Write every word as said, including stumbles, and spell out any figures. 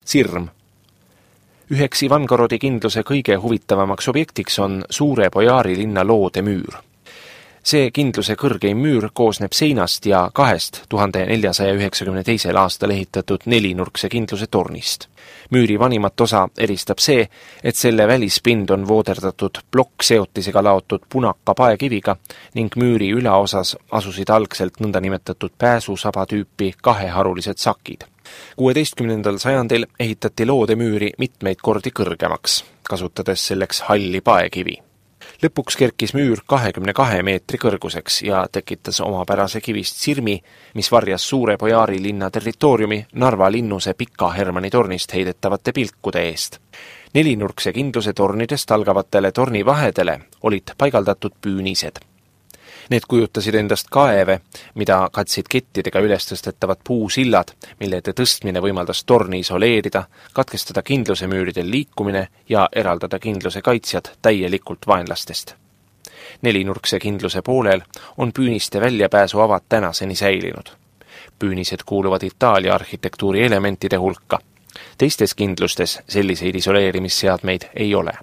sirm. Üheks Ivangorodi kindluse kõige huvitavamaks objektiks on Suure Bojaari linna loodemüür. See kindluse kõrgeim müür koosneb seinast ja kahest tuhande neljasaja üheksakümne teisel aastal ehitatud nelinurkse kindluse tornist. Müüri vanimat osa eristab see, et selle välispind on vooderdatud plokkseotisega laotud punaka paekiviga ning müüri ülaosas asusid algselt nõndanimetatud pääsusaba tüüpi kaheharulised sakid. kuueteistkümnendal sajandil ehitati loodemüüri mitmeid kordi kõrgemaks, kasutades selleks halli paekivi. Lõpuks kerkis müür kahekümne kahe meetri kõrguseks ja tekitas omapärase kivist sirmi, mis varjas Suure Bojaari linna territooriumi Narva linnuse Pika Hermanni tornist heidetavate pilkude eest. Nelinurkse kindluse tornidest algavatele tornivahedele olid paigaldatud püünised. Need kujutasid endast kaeve, mida katsid kettidega üles tõstetavad puusillad, mille tõstmine võimaldas torni isoleerida, katkestada kindluse müüridel liikumine ja eraldada kindluse kaitsjad täielikult vaenlastest. Nelinurkse kindluse poolel on püüniste väljapääsu avad tänaseni säilinud. Püünised kuuluvad Itaalia arhitektuuri elementide hulka. Teistes kindlustes selliseid isoleerimisseadmeid ei ole.